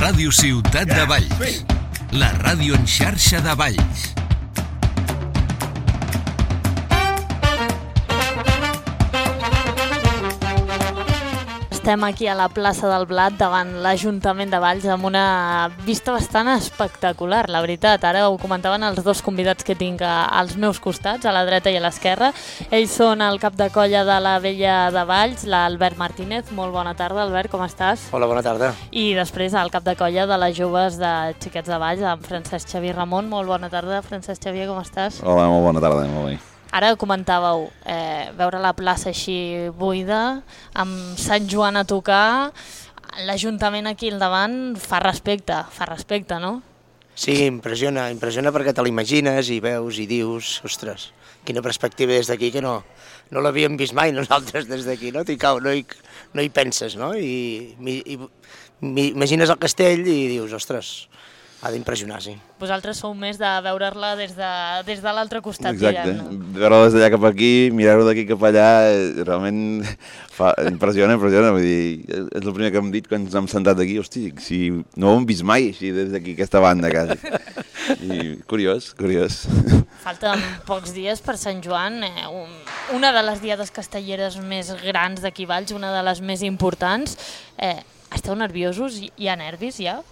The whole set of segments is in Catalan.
Ràdio Ciutat de Valls, la ràdio en xarxa de Valls. Estem aquí a la plaça del Blat davant l'Ajuntament de Valls amb una vista bastant espectacular, la veritat. Ara ho comentaven els dos convidats que tinc als meus costats, a la dreta i a l'esquerra. Ells són el cap de colla de la Vella de Valls, l'Albert Martínez. Molt bona tarda, Albert, com estàs? Hola, bona tarda. I després el cap de colla de les joves de Xiquets de Valls, en Francesc Xavier Ramon. Molt bona tarda, Francesc Xavier, com estàs? Hola, molt bona tarda, molt bé. Ara comentàveu, veure la plaça així buida, amb Sant Joan a tocar, l'Ajuntament aquí al davant fa respecte, no? Sí, impressiona perquè te l'imagines i veus i dius, ostres, quina perspectiva des d'aquí que no l'havíem vist mai nosaltres des d'aquí, no? No hi penses, no? I imagines el castell i dius, ostres, ha d'impressionar, sí. Vosaltres sou més de veure-la des de l'altre costat, exacte. diguem, no? Veure-la des d'allà cap aquí, mirar-ho d'aquí cap allà, realment impressiona, vull dir, és el primer que hem dit quan ens hem sentat aquí, hosti, si no ho hem vist mai així des d'aquí, aquesta banda, quasi. I curiós. Falten pocs dies per Sant Joan, una de les diades castelleres més grans d'aquí Valls, una de les més importants. Esteu nerviosos? Hi ha nervis, ja?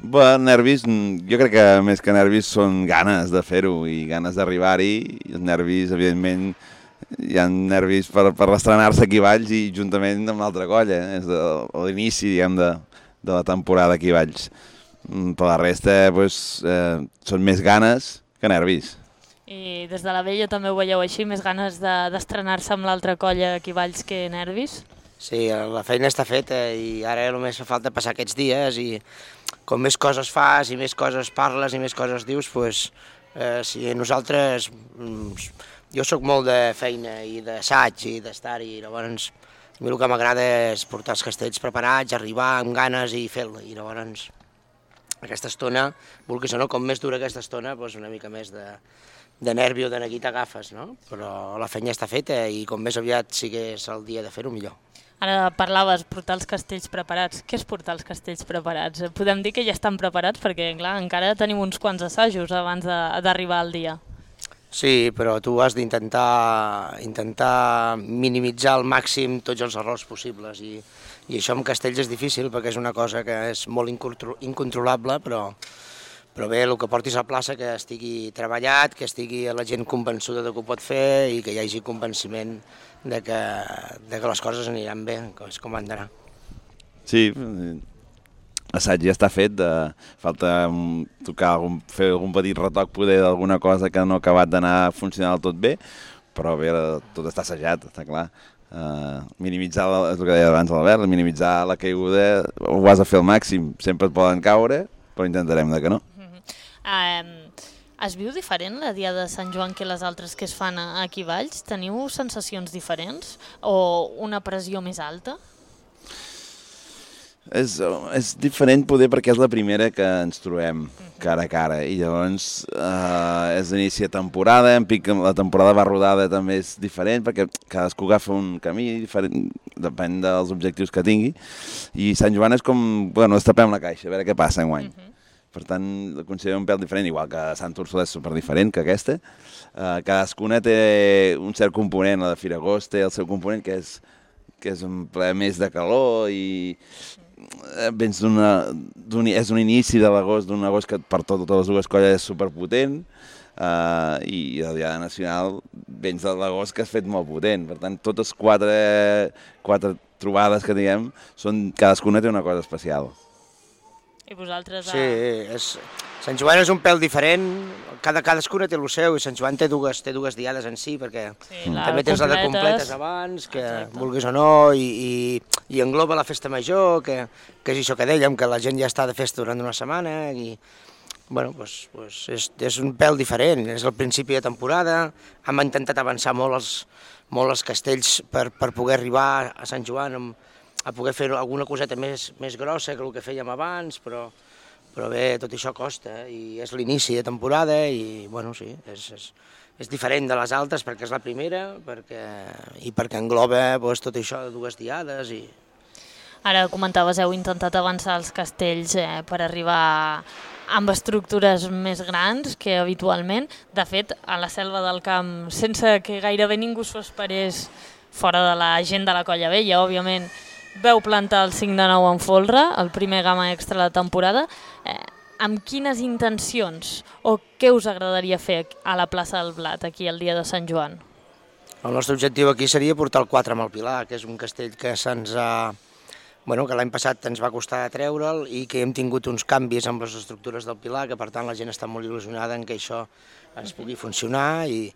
Bé, nervis, jo crec que més que nervis són ganes de fer-ho i ganes d'arribar-hi. Els nervis, evidentment, hi ha nervis per estrenar-se aquí a Valls i juntament amb l'altra colla. És l'inici, diguem, de la temporada aquí a Valls. Per la resta, són més ganes que nervis. I des de la Vella també ho veieu així, més ganes d'estrenar-se amb l'altra colla aquí a Valls que nervis? Sí, la feina està feta i ara només fa falta passar aquests dies i com més coses fas i més coses parles i més coses dius, si nosaltres... Jo sóc molt de feina i d'assaig i d'estar-hi, llavors a mi el que m'agrada és portar els castells preparats, arribar amb ganes i fer-lo, i llavors aquesta estona, vulguis o no, com més dura aquesta estona, una mica més de nervi o de neguit agafes, no? Però la feina està feta i com més aviat sigués el dia de fer-ho, millor. Ara parlaves, portar els castells preparats. Què és portar els castells preparats? Podem dir que ja estan preparats perquè, clar, encara tenim uns quants assajos abans d'arribar al dia. Sí, però tu has d'intentar minimitzar al màxim tots els errors possibles i això amb castells és difícil perquè és una cosa que és molt incontrolable, però bé, el que portis a plaça que estigui treballat, que estigui la gent convençuda de que ho pot fer i que hi hagi convenciment de que les coses aniran bé, és com han d'anar. Sí, l'assaig ja està fet, falta fer algun petit retoc poder d'alguna cosa que no ha acabat d'anar funcionant del tot bé, però bé, tot està assajat, està clar. Minimitzar, és el que deia abans l'Albert, minimitzar la caiguda, ho has de fer al màxim, sempre et poden caure, però intentarem que no. Es viu diferent la dia de Sant Joan que les altres que es fan aquí a Valls? Teniu sensacions diferents o una pressió més alta? És diferent poder perquè és la primera que ens trobem cara a cara i llavors és l'inici de temporada, la temporada va rodada també és diferent perquè cadascú agafa un camí diferent, depèn dels objectius que tingui i Sant Joan és com, destapem la caixa, a veure què passa enguany. Per tant, la considerem un pèl diferent, igual que Sant Úrsula és superdiferent que aquesta. Cadascuna té un cert component, la de Firagost té el seu component, que és un ple més de calor i és un inici de l'agost, d'un agost que per totes les dues colles és superpotent i la Diada Nacional vens de l'agost que has fet molt potent. Per tant, totes quatre trobades que diguem, cadascuna té una cosa especial. I vosaltres... Sí, Sant Joan és un pèl diferent, cadascuna té el seu i Sant Joan té dues diades en si, perquè també tens la de completes abans, que vulguis o no, i engloba la festa major, que és això que dèiem, que la gent ja està de festa durant una setmana, i és un pèl diferent, és el principi de temporada, hem intentat avançar molt els castells per poder arribar a Sant Joan a poder fer alguna coseta més grossa que el que fèiem abans, però bé, tot això costa i és l'inici de temporada i, sí, és diferent de les altres perquè és la primera i perquè engloba tot això de dues diades i... Ara comentaves, heu intentat avançar els castells per arribar amb estructures més grans que habitualment. De fet, a la Selva del Camp, sense que gairebé ningú s'ho esperés fora de la gent de la Colla Vella, òbviament, veu plantar el 5 de 9 en folre, el primer gamma extra de la temporada. Amb quines intencions o què us agradaria fer a la plaça del Blat, aquí el dia de Sant Joan? El nostre objectiu aquí seria portar el 4 amb el Pilar, que és un castell que que l'any passat ens va costar treure'l i que hem tingut uns canvis amb les estructures del Pilar, que per tant la gent està molt il·lusionada en que això ens pugui funcionar i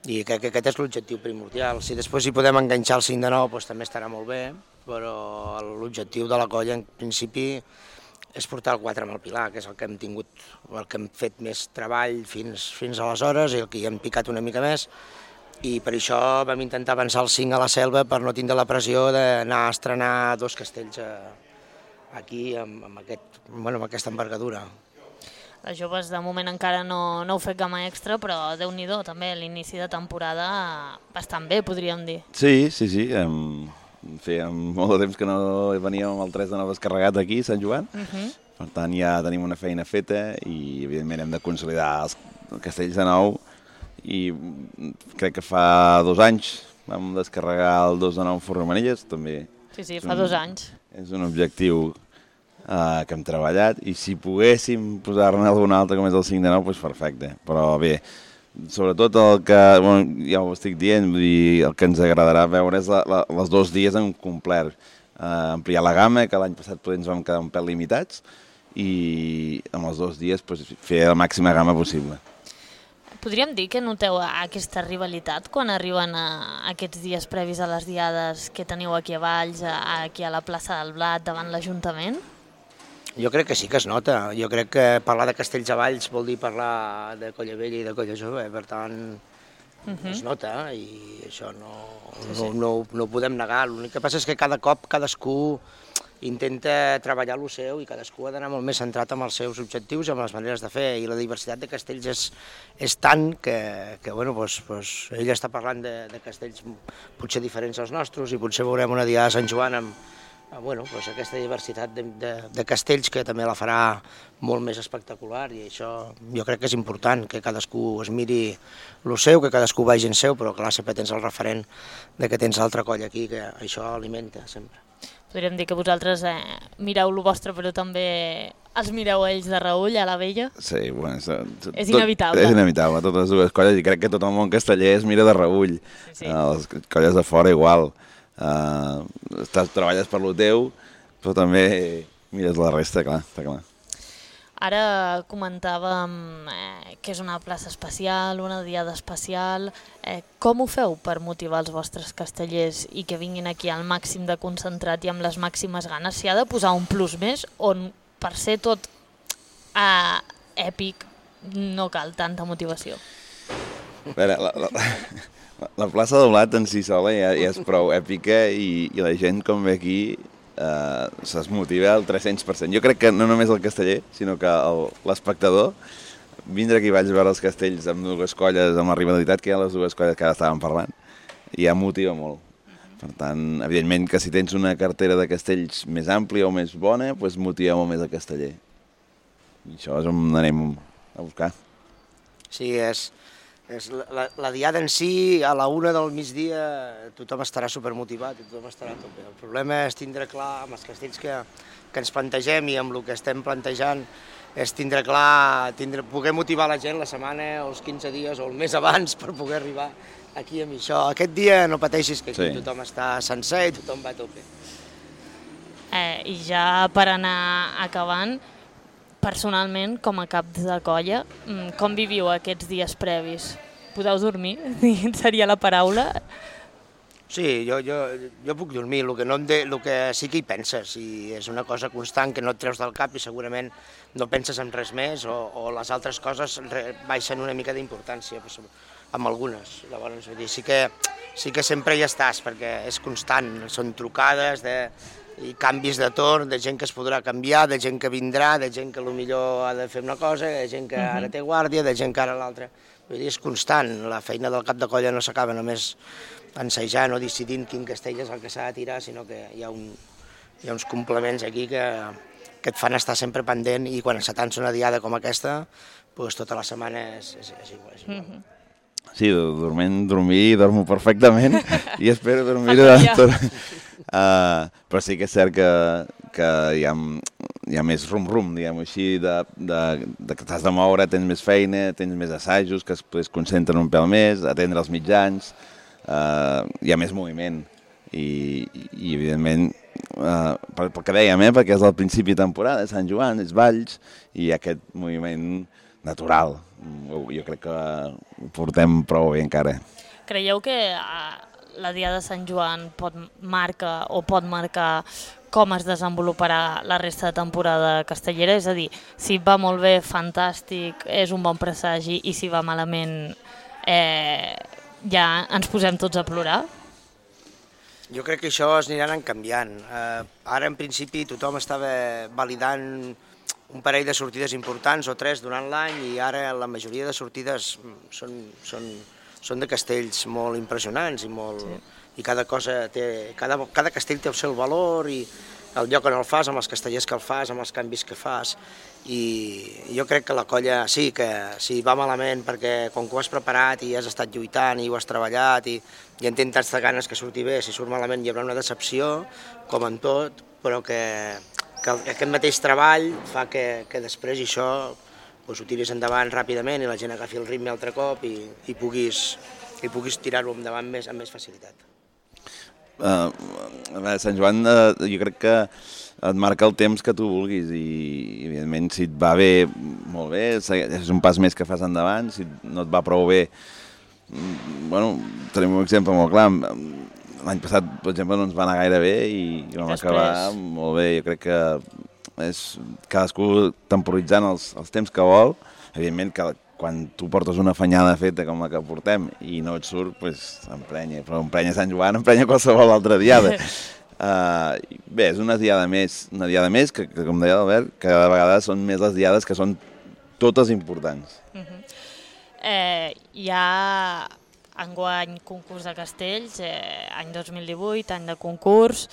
que aquest és l'objectiu primordial. Si després hi podem enganxar el 5 de 9 doncs també estarà molt bé, però l'objectiu de la colla en principi és portar el 4 amb el Pilar, que és el que hem tingut, el que hem fet més treball fins aleshores i el que hi hem picat una mica més. I per això vam intentar avançar el 5 a la Selva per no tindre la pressió d'anar a estrenar 2 castells aquí amb aquesta envergadura. Les joves de moment encara no heu fet gamma extra, però Déu-n'hi-do, també l'inici de temporada bastant bé, podríem dir. Sí. Feia molt de temps que no veníem amb el 3 de 9 descarregat aquí, Sant Joan. Per tant, ja tenim una feina feta i, evidentment, hem de consolidar els castells de nou. I crec que fa 2 anys vam descarregar el 2 de 9 Fornomanilles, també. Sí, fa 2 anys. És un objectiu que hem treballat i si poguéssim posar-ne algun altre com és el 5 de 9, doncs perfecte. Però bé, sobretot el que, ja ho estic dient, vull dir, el que ens agradarà veure és els 2 dies en complet. Ampliar la gamma, que l'any passat ens vam quedar un pèl limitats, i amb els 2 dies fer la màxima gamma possible. Podríem dir que noteu aquesta rivalitat quan arriben aquests dies previs a les diades que teniu aquí a Valls, aquí a la plaça del Blat, davant l'Ajuntament? Jo crec que sí que es nota. Jo crec que parlar de castells a Valls vol dir parlar de Colla Vella i de Colla Jove, per tant es nota i això no ho podem negar. L'únic que passa és que cada cop cadascú intenta treballar el seu i cadascú ha d'anar molt més centrat en els seus objectius i en les maneres de fer, i la diversitat de castells és tant que ell està parlant de castells potser diferents als nostres i potser veurem una diada de Sant Joan amb aquesta diversitat de castells que també la farà molt més espectacular, i això jo crec que és important, que cadascú es miri el seu, que cadascú vagi en seu, però clar, sempre tens el referent de que tens l'altra colla aquí, que això alimenta sempre. Podríem dir que vosaltres mireu el vostre, però també els mireu ells de reüll a la Vella? Sí, bueno, és inevitable. És inevitable, totes les dues colles, i crec que tot el món casteller es mira de reüll. Sí. Les colles de fora igual. Treballes per lo teu, però també mires la resta, clar, està clar. Ara comentàvem que és una plaça especial, una diada especial. Com ho feu per motivar els vostres castellers i que vinguin aquí al màxim de concentrat i amb les màximes ganes? S'hi ha de posar un plus més o per ser tot èpic no cal tanta motivació? A veure, la plaça del Blat en si sola ja és prou èpica i la gent com ve aquí es motiva al 300%. Jo crec que no només el casteller, sinó que l'espectador, vindre aquí vaig veure els castells amb 2 colles, amb la rivalitat que hi ha les 2 colles que ara estàvem parlant, ja motiva molt. Per tant, evidentment que si tens una cartera de castells més àmplia o més bona, doncs motiva molt més el casteller. I això és on anem a buscar. Sí, la diada en si, a la 1 del migdia, tothom estarà supermotivat i tothom estarà a tope. El problema és tindre clar amb els castells que ens plantegem i amb el que estem plantejant, és tindre clar, poder motivar la gent la setmana o els 15 dies o el mes abans per poder arribar aquí amb això. Aquest dia no pateixis, que aquí tothom està sencer i tothom va a tope. I ja per anar acabant, personalment, com a cap de colla, com viviu aquests dies previs? Podeu dormir? Seria la paraula? Sí, jo puc dormir, el que sí que hi penses, i és una cosa constant que no et treus del cap i segurament no penses en res més, o les altres coses baixen una mica d'importància, amb algunes. Llavors, sí que sempre hi estàs, perquè és constant, són trucades i canvis de torn, de gent que es podrà canviar, de gent que vindrà, de gent que potser ha de fer una cosa, de gent que ara té guàrdia, de gent que ara l'altra. Vull dir, és constant, la feina del cap de colla no s'acaba només ensajant o decidint quin castell és el que s'ha de tirar, sinó que hi ha hi ha uns complements aquí que et fan estar sempre pendent, i quan se tansa una diada com aquesta, doncs tota la setmana és igual. Sí, dormir dormo perfectament i espero dormir durant tot. Però sí que és cert que hi ha més rum-rum, diguem-ho així, de que t'has de moure, tens més feina, tens més assajos, que es concentren un pèl més, atendre els mitjans, hi ha més moviment. I evidentment, pel que dèiem, perquè és el principi de temporada, Sant Joan, és Valls, i aquest moviment natural. Jo crec que ho portem prou bé encara. Creieu que la Diada de Sant Joan pot marcar com es desenvoluparà la resta de temporada castellera? És a dir, si va molt bé, fantàstic, és un bon presagi, i si va malament, ja ens posem tots a plorar? Jo crec que això es aniran canviant. Ara, en principi, tothom estava validant un parell de sortides importants o 3 durant l'any, i ara la majoria de sortides són de castells molt impressionants i cada castell té el seu valor i el lloc on el fas, amb els castellers que el fas, amb els canvis que fas, i jo crec que la colla sí que si va malament perquè com que ho has preparat i has estat lluitant i ho has treballat i en tens tantes ganes que surti bé, si surt malament hi haurà una decepció, com en tot, però que aquest mateix treball fa que després això ho tiris endavant ràpidament i la gent agafi el ritme altre cop i puguis tirar-ho endavant amb més facilitat. Sant Joan jo crec que et marca el temps que tu vulguis i evidentment si et va bé, molt bé, és un pas més que fas endavant, si no et va prou bé, bueno, tenim un exemple molt clar, l'any passat, per exemple, no ens va anar gaire bé i vam acabar molt bé. Jo crec que és cadascú temporitzant els temps que vol. Evidentment que quan tu portes una fanyada feta com la que portem i no et surt, doncs emprenya. Però emprenya Sant Joan, emprenya qualsevol altra diada. Bé, és una diada més que, com deia l'Albert, cada vegada són més les diades que són totes importants. Hi ha enguany concurs de castells, any 2018, any de concurs,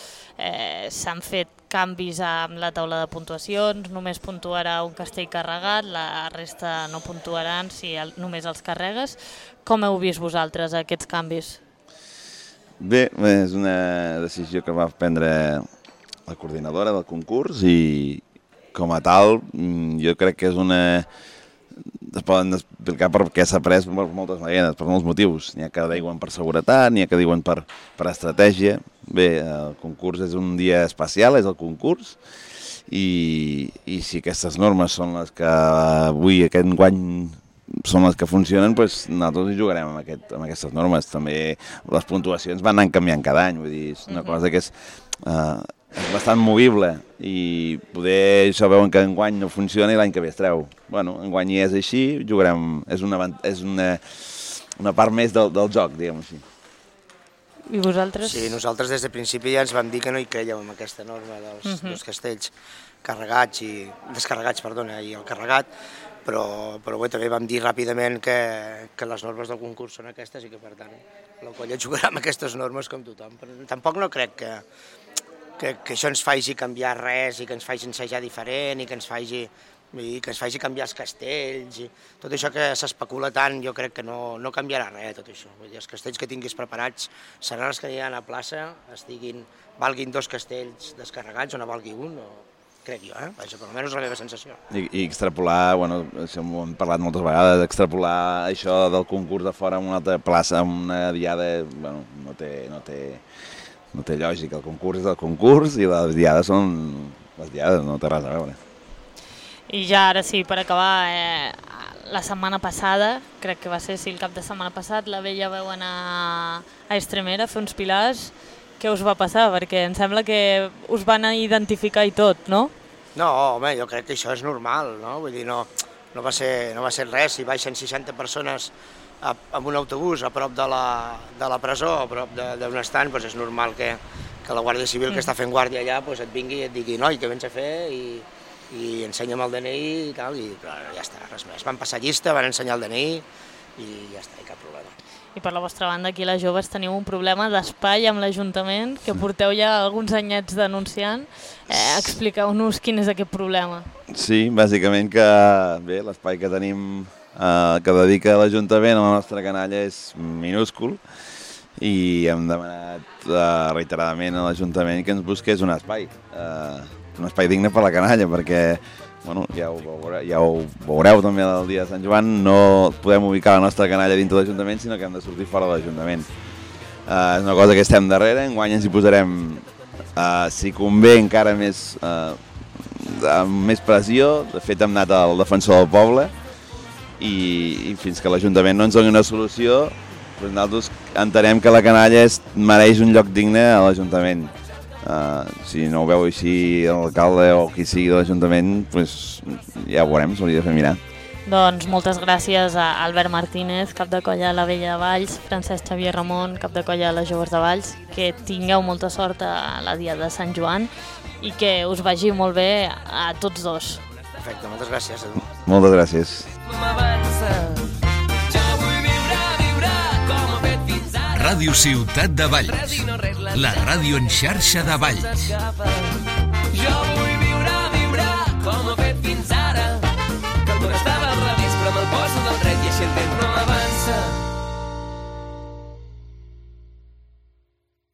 s'han fet canvis amb la taula de puntuacions, només puntuarà un castell carregat, la resta no puntuaran si només els carregues. Com heu vist vosaltres aquests canvis? Bé, és una decisió que va prendre la coordinadora del concurs i com a tal jo crec que és una... Es poden explicar per què s'ha pres per moltes maneres, per molts motius. N'hi ha que diuen per seguretat, n'hi ha que diuen per estratègia. Bé, el concurs és un dia especial, és el concurs, i si aquestes normes són les que avui, aquest enguany, són les que funcionen, doncs nosaltres hi jugarem amb aquestes normes. També les puntuacions van anant canviant cada any, vull dir, és una cosa que és bastant movible i poder això veuen que enguany no funciona i l'any que ve es treu. Bueno, enguany és així, jugarem, és una part més del joc, diguem-ho així. I vosaltres? Sí, nosaltres des de principi ja ens vam dir que no hi crèiem en aquesta norma dels castells carregats i descarregats, perdona, i el carregat, però bé, també vam dir ràpidament que les normes del concurs són aquestes i que per tant la colla jugarà amb aquestes normes com tothom. Però tampoc no crec que això ens faci canviar res i que ens faci ensejar diferent i que ens faci canviar els castells i tot això que s'especula tant, jo crec que no canviarà res tot això. Vull dir, els castells que tinguis preparats seran els que aniran a plaça, valguin 2 castells descarregats o no valgui un, crec jo, vaja, per almenys la meva sensació. I extrapolar, bueno, això ho hem parlat moltes vegades, extrapolar això del concurs de fora en una altra plaça, en una diada, bueno, no té lògica. El concurs és el concurs i les diades són les diades, no té res a veure. I ja ara sí, per acabar, la setmana passada, crec que va ser el cap de setmana passat, la Bella veu anar a Estremera a fer uns pilars. Què us va passar? Perquè em sembla que us van identificar i tot, no? No, home, jo crec que això és normal, no? Vull dir, no va ser res. Si baixen 60 persones amb un autobús a prop de la presó, a prop d'un estant, doncs és normal que la Guàrdia Civil que està fent guàrdia allà et vingui i et digui noi, què vens a fer? I ensenya'm el DNI i tal, i ja està, res més. Van passar llista, van ensenyar el DNI i ja està, cap problema. I I per la vostra banda, aquí les joves teniu un problema d'espai amb l'Ajuntament, que porteu ja alguns anyets denunciant. Expliqueu-nos quin és aquest problema. Sí, bàsicament que bé, l'espai que tenim que dedica l'Ajuntament a la nostra canalla és minúscul i hem demanat reiteradament a l'Ajuntament que ens busqués un espai digne per la canalla, perquè bueno, ja ho veureu també el dia de Sant Joan, no podem ubicar la nostra canalla dintre de l'Ajuntament, sinó que hem de sortir fora de l'Ajuntament. És una cosa que estem darrere, enguany ens hi posarem, si convé, encara més pressió. De fet, hem anat al defensor del poble i fins que l'Ajuntament no ens doni una solució, doncs nosaltres entenem que la canalla mereix un lloc digne a l'Ajuntament. Si no ho veu així l'alcalde o qui sigui de l'Ajuntament, doncs ja ho veurem, s'hauria de fer mirar. Doncs moltes gràcies a Albert Martínez, cap de colla a la Vella de Valls, Francesc Xavier Ramon, cap de colla a les Joves de Valls, que tingueu molta sort a la dia de Sant Joan i que us vagi molt bé a tots dos. Perfecte, moltes gràcies a tu. Moltes gràcies. Ràdio Ciutat de Valls, la ràdio en xarxa de Valls.